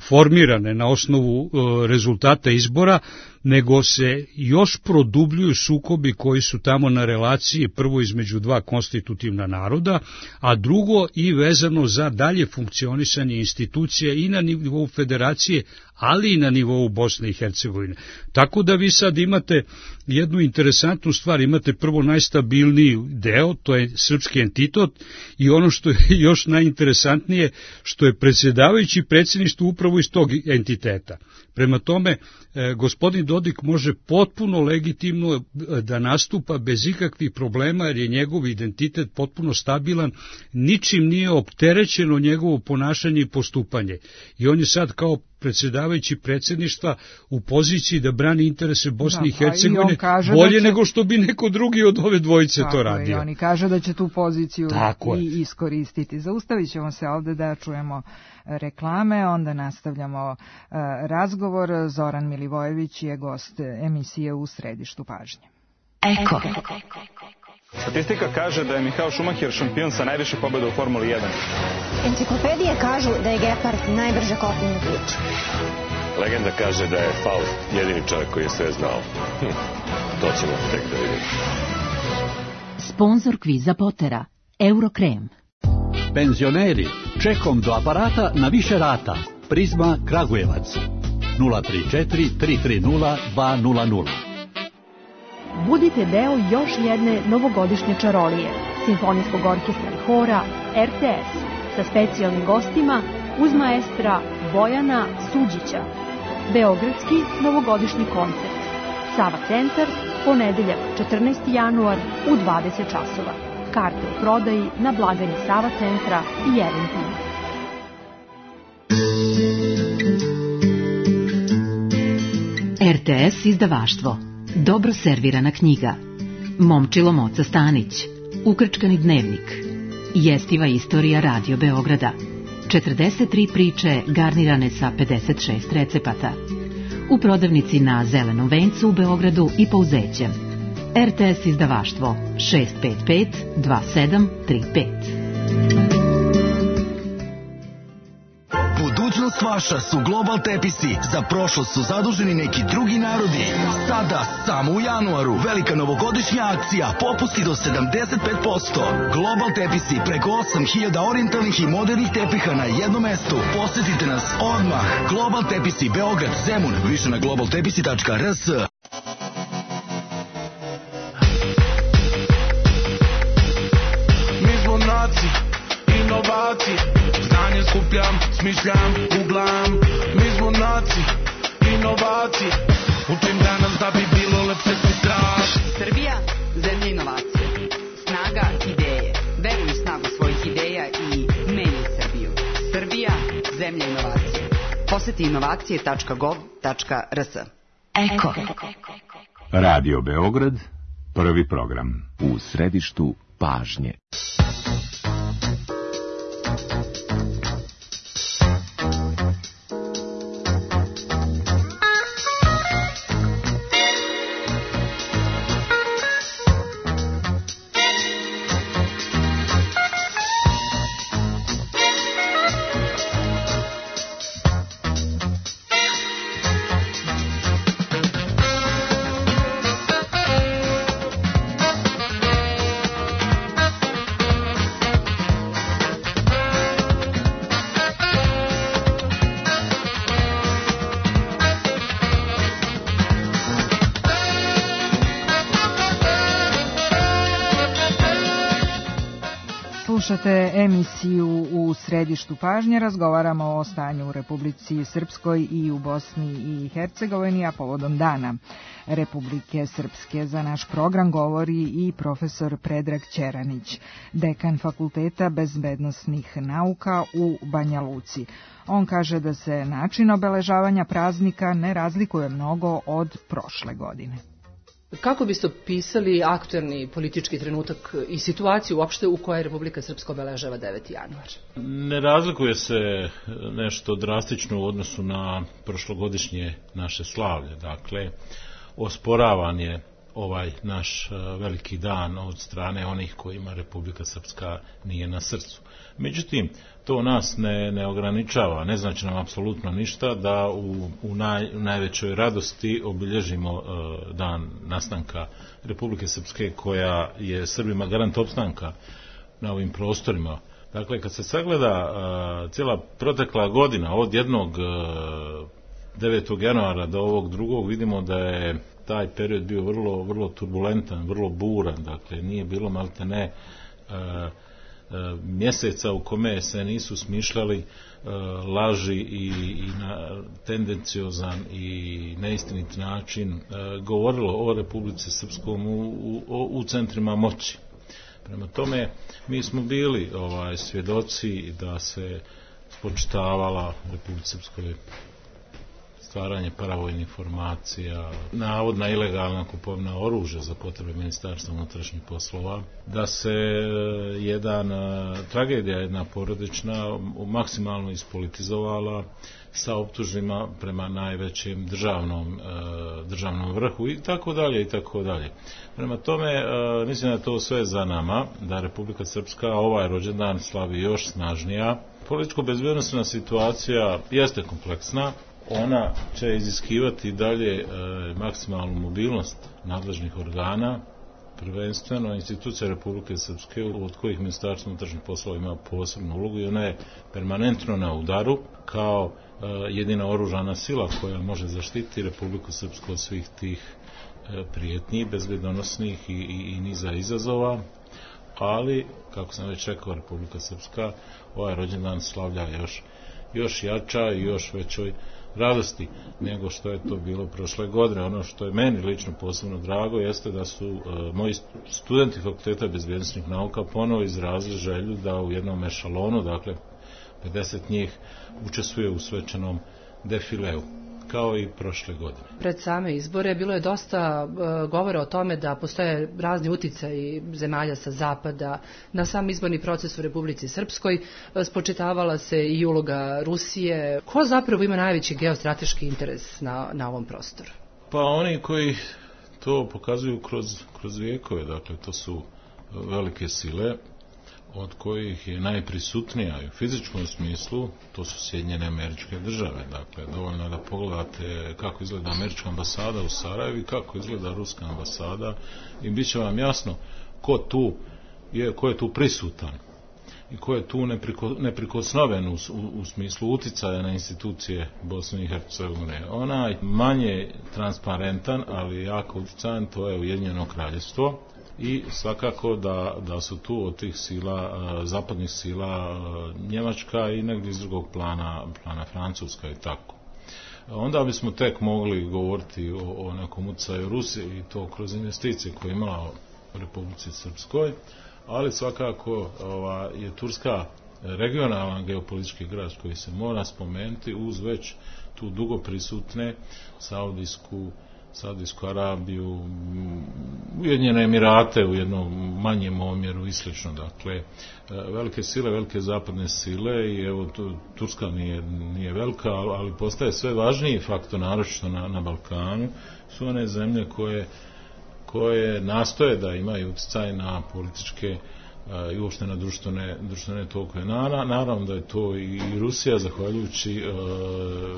formirane na osnovu rezultata izbora, nego se još produbljuju sukobi koji su tamo na relaciji, prvo između 2 konstitutivna naroda, a drugo i vezano za dalje funkcionisanje institucija i na nivou federacije, ali i na nivou Bosne i Hercegovine. Tako da vi sad imate jednu interesantnu stvar, imate prvo najstabilniji deo, to je srpski entitet, i ono što je još najinteresantnije, što je predsjedavajući predsjedništvo upravo iz tog entiteta. Prema tome, gospodin Dodik može potpuno legitimno da nastupa bez ikakvih problema, jer je njegov identitet potpuno stabilan, ničim nije opterećeno njegovo ponašanje i postupanje. I on je sad kao predsjedavajući predsjedništva u poziciji da brani interese Bosne i Hercegovine bolje nego što bi neko drugi od ove dvojice to radio. I oni kaže da će tu poziciju i iskoristiti. Zaustavit ćemo se ovde da čujemo reklame, onda nastavljamo razgovor. Zoran Milivojević je gost emisije U središtu pažnje. Eko. Statistika kaže da je Michael Schumacher šampion sa najviše pobjeda u Formuli 1. Enciklopedije kažu da je Gepard najbrže kopneni bič. Legenda kaže da je Faust jedini čovjek koji je sve znao. To ćemo tek da vidimo. Sponzor kviza Potera, Eurokrem. Penzioneri, čekom do aparata na više rata. Prizma Kragujevac. 034 330 200. Budite deo još jedne novogodišnje čarolije, simfonijskog orkestra i hora RTS sa specijalnim gostima uz maestra Bojana Suđića. Beogradski novogodišnji koncert. Sava centar, ponedeljak 14. januar u 20 časova. Karte u prodaji na blagajni Sava centra i Eventim. RTS izdavaštvo. Dobro servirana knjiga. Momčilo Moca Stanić. Ukrčkani dnevnik. Jestiva istorija Radio Beograda. 43 priče garnirane sa 56 recepata. U prodavnici na Zelenom vencu u Beogradu i Pouzećem. RTS izdavaštvo 655 2735. Budućnost vaša su Global Tepisi. Za prošlost su zaduženi neki drugi narodi. Sada, samo u januaru, velika novogodišnja akcija, popusti do 75%. Global Tepisi, preko 8000 orijentalnih i modernih tepiha na jednom mestu. Posjetite nas odmah. Global Tepisi, Beograd, Zemun, više na globaltepisi.rs. Mi smo naci, inovaci, znanje skupljam, smišljam, googlam. Mi smo naci, inovaci, učim danas da bi bilo lepše sutra. Srbija, Zemlja inovacije. Poseti inovacije.gov.rs. Eko. Radio Beograd, prvi program. U središtu pažnje. Slušate emisiju U središtu pažnje, razgovaramo o stanju u Republici Srpskoj i u Bosni i Hercegovini, a povodom Dana Republike Srpske. Za naš program govori i profesor Predrag Ćeranić, dekan Fakulteta bezbednosnih nauka u Banja Luci. On kaže da se način obeležavanja praznika ne razlikuje mnogo od prošle godine. Kako biste opisali aktuelni politički trenutak i situaciju uopšte u kojoj Republika Srpska obeležava 9. januar? Ne razlikuje se nešto drastično u odnosu na prošlogodišnje naše slavlje. Dakle, osporavan je ovaj naš veliki dan od strane onih kojima Republika Srpska nije na srcu. Međutim, to nas ne ograničava, ne znači nam apsolutno ništa da u najvećoj radosti obilježimo dan nastanka Republike Srpske, koja je Srbima garant opstanka na ovim prostorima. Dakle, kad se sagleda cijela protekla godina od jednog 9. januara do ovog drugog, vidimo da je taj period bio vrlo turbulentan, vrlo buran, dakle nije bilo maltene mjeseca u kome se nisu smišljali laži i na tendenciozan i neistinit način govorilo o Republici Srpskom u centrima moći. Prema tome, mi smo bili svjedoci da se spočitavala Republici Srpskoj stvaranje paravojnih formacija, navodna ilegalna kupovina oružja za potrebe Ministarstva unutrašnjih poslova, da se tragedija jedna porodična maksimalno ispolitizovala sa optužbama prema najvećem državnom vrhu i tako dalje i tako dalje. Prema tome, mislim da je to sve za nama, da Republika Srpska ovaj rođendan slavi još snažnija. Političko-bezbednosna situacija jeste kompleksna. Ona će iziskivati dalje maksimalnu mobilnost nadležnih organa, prvenstveno institucija Republike Srpske, od kojih Ministarstvo unutrašnjih poslova ima posebnu ulogu i ona je permanentno na udaru kao jedina oružana sila koja može zaštiti Republiku Srpsku od svih tih prijetnji, bezbednosnih i niza izazova, ali, kako sam već rekao, Republika Srpska ovaj rođendan slavlja još jača i još većoj radosti nego što je to bilo prošle godine. Ono što je meni lično posebno drago jeste da su moji studenti Fakulteta bezbednosnih nauka ponovo izrazili želju da u jednom ešalonu, dakle 50 njih, učestvuje u svečanom defileu, kao i prošle godine. Pred same izbore bilo je dosta govora o tome da postoje razni uticaji zemalja sa zapada na sam izborni proces u Republici Srpskoj. Spočitavala se i uloga Rusije. Ko zapravo ima najveći geostrateški interes na ovom prostoru? Pa oni koji to pokazuju kroz vijekove, dakle to su velike sile, od kojih je najprisutnija u fizičkom smislu, to su Sjedinjene Američke Države. Dakle, dovoljno da pogledate kako izgleda američka ambasada u Sarajevu i kako izgleda ruska ambasada i bit će vam jasno ko je tu prisutan i ko je tu neprikosnoven u smislu uticaja na institucije Bosne i Hercegovine. Onaj manje transparentan, ali jako uticajan, to je Ujedinjeno Kraljevstvo. I svakako da su tu od tih sila, zapadnih sila, Njemačka i negdje iz drugog plana Francuska i tako. Onda bismo tek mogli govoriti o nekom utjecaju Rusije i to kroz investicije koje je imala u Republici Srpskoj, ali svakako je Turska regionalan geopolitički igrač koji se mora spomenuti uz već tu dugo prisutne Saudijsku Arabiju, Ujedinjene Emirate u jednom manjem omjeru i slično. Dakle, velike sile, velike zapadne sile i evo Turska nije velika, ali postaje sve važniji faktor, naročito na Balkanu, su one zemlje koje nastoje da imaju utjecaj na političke i uopšte na društvene tokove. Naravno da je to i Rusija, zahvaljujući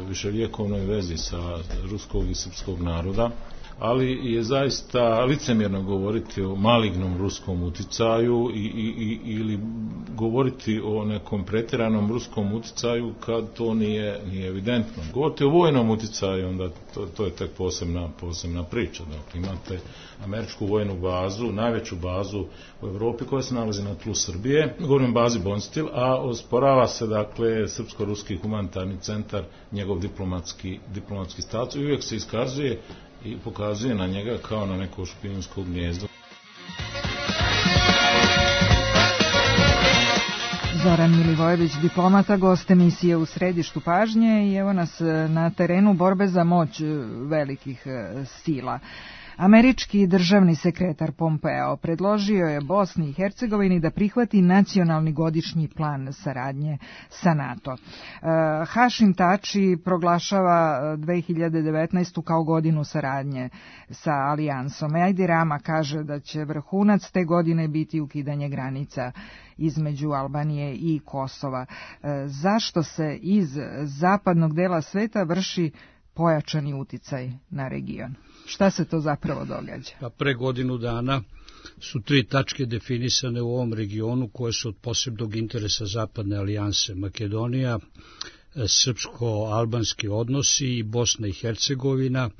viševjekovnoj vezi sa ruskog i srpskog naroda, ali je zaista licemjerno govoriti o malignom ruskom uticaju ili govoriti o nekom pretjeranom ruskom uticaju kad to nije evidentno. Govoriti o vojnom uticaju, onda to je tek posebna priča. Dakle, imate američku vojnu bazu, najveću bazu u Evropi koja se nalazi na tlu Srbije, govorim o bazi Bonstil, a osporava se, dakle, Srpsko-ruski humanitarni centar, njegov diplomatski status, i uvijek se iskazuje i pokazuje na njega kao na neko špijunsko gnjezdo. Zoran Milivojević, diplomata, gost emisije U središtu pažnje, i evo nas na terenu borbe za moć velikih sila. Američki državni sekretar Pompeo predložio je Bosni i Hercegovini da prihvati nacionalni godišnji plan saradnje sa NATO. Hašim Tači proglašava 2019. kao godinu saradnje sa alijansom. Edi Rama kaže da će vrhunac te godine biti ukidanje granica između Albanije i Kosova. Zašto se iz zapadnog dela sveta vrši pojačani uticaj na region? Šta se to zapravo događa? Pre godinu dana su 3 tačke definisane u ovom regionu koje su od posebnog interesa Zapadne alijanse: Makedonija, srpsko-albanski odnosi i Bosna i Hercegovina,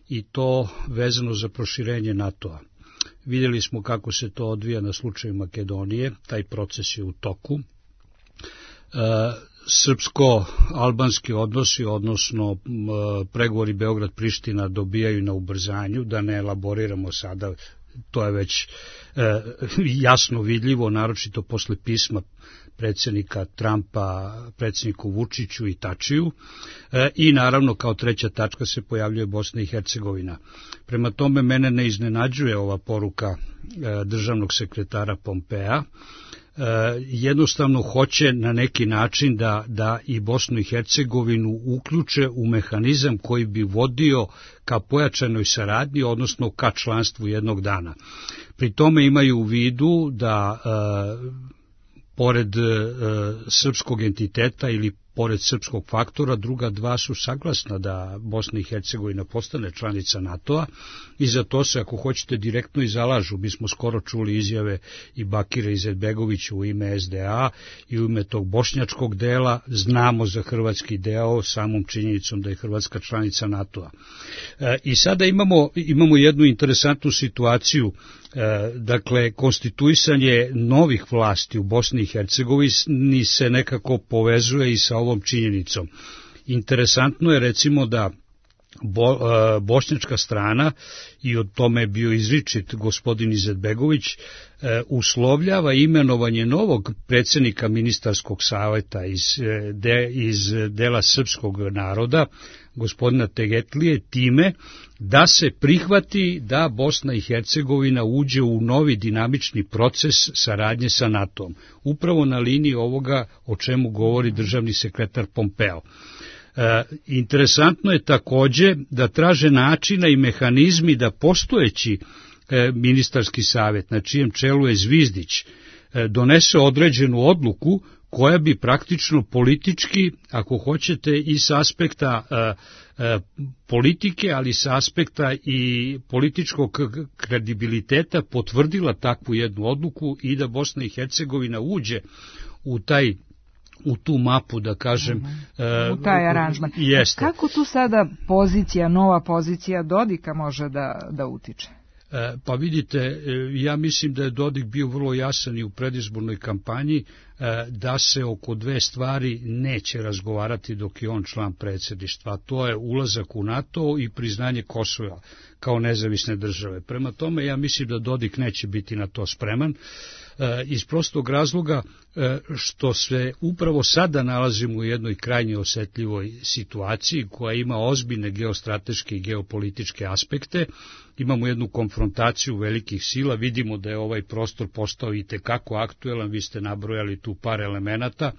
i to vezano za proširenje NATO-a. Vidjeli smo kako se to odvija na slučaju Makedonije, taj proces je u toku. Srpsko-albanski odnosi, odnosno pregovori Beograd-Priština, dobijaju na ubrzanju, da ne elaboriramo sada, to je već jasno vidljivo, naročito posle pisma predsjednika Trumpa predsjedniku Vučiću i Tačiju, i naravno kao treća tačka se pojavljuje Bosna i Hercegovina. Prema tome, mene ne iznenađuje ova poruka državnog sekretara Pompea. Jednostavno hoće na neki način da i Bosnu i Hercegovinu uključe u mehanizam koji bi vodio ka pojačanoj saradnji, odnosno ka članstvu jednog dana. Pri tome imaju u vidu da pored srpskog entiteta ili pored srpskog faktora, druga dva su saglasna da Bosna i Hercegovina postane članica NATO-a, i za to se, ako hoćete, direktno i zalažu. Mi smo skoro čuli izjave i Bakira Izetbegovića u ime SDA i u ime tog bošnjačkog dela. Znamo za hrvatski deo samom činjenicom da je Hrvatska članica NATO-a. I sada imamo jednu interesantnu situaciju. Dakle, konstituisanje novih vlasti u Bosni i Hercegovini se nekako povezuje i sa ovom činjenicom. Interesantno je, recimo, da bošnjačka strana, i od tome je bio izričit gospodin Izetbegović, uslovljava imenovanje novog predsjednika ministarskog savjeta iz dela srpskog naroda, gospodina Tegetlije, time da se prihvati da Bosna i Hercegovina uđe u novi dinamični proces saradnje sa NATO-om, upravo na liniji ovoga o čemu govori državni sekretar Pompeo. Interesantno je takođe da traže načina i mehanizmi da postojeći ministarski savjet, na čijem čelu je Zvizdić, donese određenu odluku koja bi praktično politički, ako hoćete, i s aspekta politike, ali sa aspekta i političkog kredibiliteta potvrdila takvu jednu odluku i da Bosna i Hercegovina uđe u tu mapu, da kažem, u taj aranžman. Jeste. Kako tu sada nova pozicija Dodika može da utiče? Pa vidite, ja mislim da je Dodik bio vrlo jasan i u predizbornoj kampanji da se oko dve stvari neće razgovarati dok je on član predsjedništva, a to je ulazak u NATO i priznanje Kosova kao nezavisne države. Prema tome, ja mislim da Dodik neće biti na to spreman. iz prostog razloga što se upravo sada nalazimo u jednoj krajnje osetljivoj situaciji koja ima ozbiljne geostrateške i geopolitičke aspekte. Imamo jednu konfrontaciju velikih sila, vidimo da je ovaj prostor postao i tekako aktuelan, vi ste nabrojali tu par elemenata.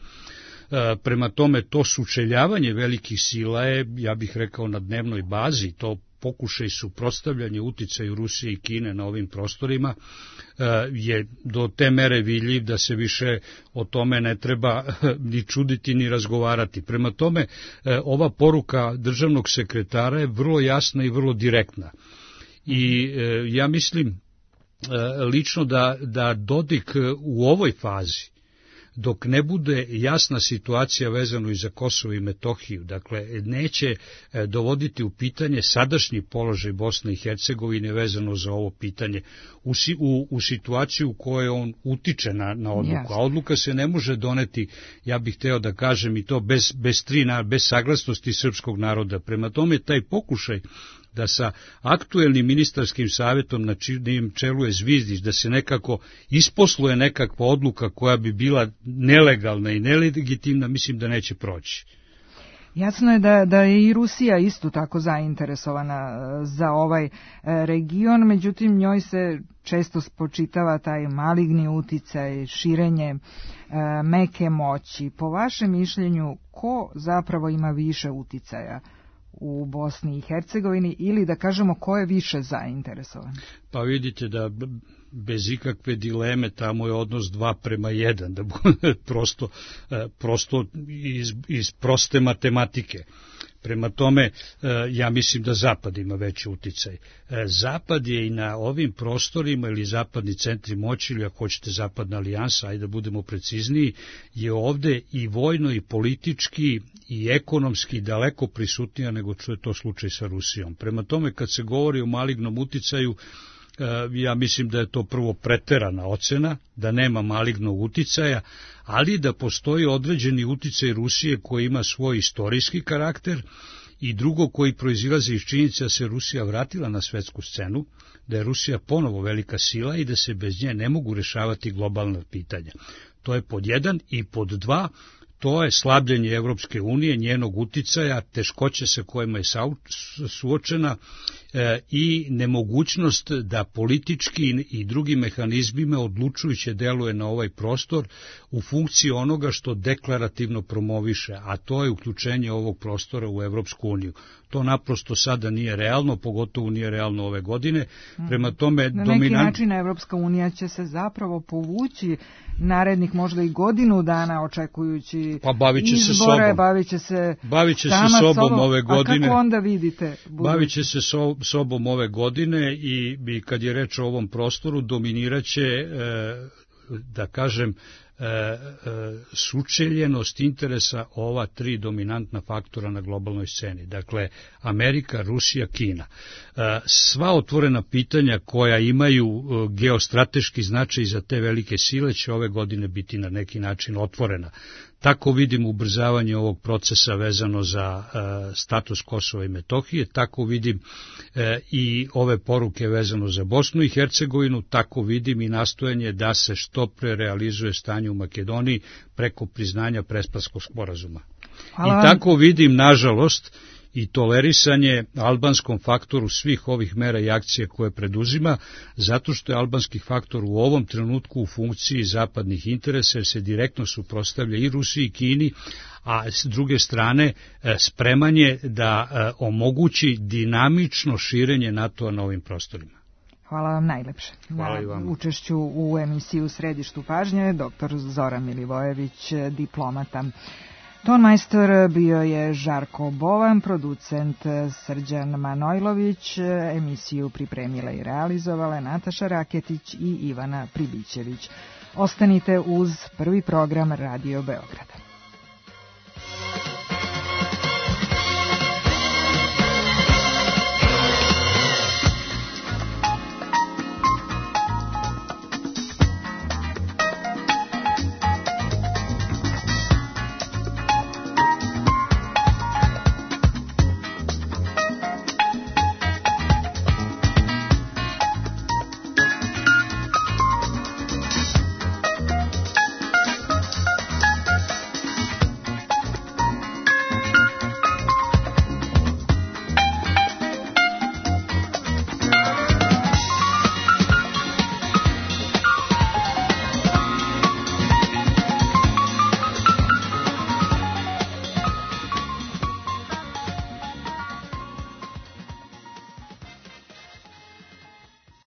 Prema tome, to sučeljavanje velikih sila je, ja bih rekao, na dnevnoj bazi, to pokušaj suprotstavljanja uticaju Rusije i Kine na ovim prostorima je do te mere vidljiv da se više o tome ne treba ni čuditi ni razgovarati. Prema tome, ova poruka državnog sekretara je vrlo jasna i vrlo direktna. I ja mislim lično da Dodik u ovoj fazi, dok ne bude jasna situacija vezano i za Kosovo i Metohiju, dakle, neće dovoditi u pitanje sadašnji položaj Bosne i Hercegovine vezano za ovo pitanje u situaciju u kojoj on utiče na odluku. A odluka se ne može doneti, ja bih hteo da kažem i to bez saglasnosti srpskog naroda. Prema tome, taj pokušaj da sa aktuelnim ministarskim savjetom na čijem čelu je Zvizdić, da se nekako isposluje nekakva odluka koja bi bila nelegalna i nelegitimna, mislim da neće proći. Jasno je da je i Rusija isto tako zainteresovana za ovaj region, međutim njoj se često spočitava taj maligni uticaj, širenje meke moći. Po vašem mišljenju, ko zapravo ima više uticaja u Bosni i Hercegovini ili da kažemo ko je više zainteresovan? Pa vidite da bez ikakve dileme tamo je odnos 2:1, da prosto iz proste matematike. Prema tome, ja mislim da Zapad ima veći uticaj. Zapad je i na ovim prostorima ili zapadni centri moći, ili ako hoćete zapadna alijansa, ajde da budemo precizniji, je ovde i vojno i politički i ekonomski daleko prisutnija nego što je to slučaj sa Rusijom. Prema tome, kad se govori o malignom uticaju, ja mislim da je to prvo preterana ocena, da nema malignog uticaja, ali da postoji određeni uticaj Rusije koji ima svoj istorijski karakter i drugo koji proizilazi iz činjenice da se Rusija vratila na svetsku scenu, da je Rusija ponovo velika sila i da se bez nje ne mogu rešavati globalna pitanja. To je pod 1 i pod 2, to je slabljenje Evropske unije, njenog uticaja, teškoće sa kojima je suočena i nemogućnost da politički i drugim mehanizmima odlučujuće deluje na ovaj prostor u funkciji onoga što deklarativno promoviše, a to je uključenje ovog prostora u Evropsku uniju. To naprosto sada nije realno, pogotovo nije realno ove godine. Prema tome, na neki način Evropska unija će se zapravo povući narednih možda i godinu dana očekujući izbore, bavit će se sobom ove godine. A kako onda vidite? Bavit će se sobom ove godine i kad je reč o ovom prostoru dominiraće, da kažem, sučeljenost interesa ova 3 dominantna faktora na globalnoj sceni. Dakle, Amerika, Rusija, Kina. Sva otvorena pitanja koja imaju geostrateški značaj za te velike sile će ove godine biti na neki način otvorena. Tako vidim ubrzavanje ovog procesa vezano za status Kosova i Metohije, tako vidim i ove poruke vezano za Bosnu i Hercegovinu, tako vidim i nastojanje da se što pre realizuje stanje u Makedoniji preko priznanja Presparskog sporazuma. I tako vidim, nažalost, i tolerisanje albanskom faktoru svih ovih mera i akcije koje preduzima, zato što je albanski faktor u ovom trenutku u funkciji zapadnih interesa, jer se direktno suprotstavlja i Rusiji i Kini, a s druge strane spremanje da omogući dinamično širenje NATO-a na ovim prostorima. Hvala vam najlepše. Hvala i vama. Učešću u emisiji U središtu pažnje dr. Zoran Milivojević, diplomata. Tonmajstor bio je Žarko Bovan, producent Srđan Manojlović, emisiju pripremila i realizovala Nataša Raketić i Ivana Pribićević. Ostanite uz prvi program Radio Beograda.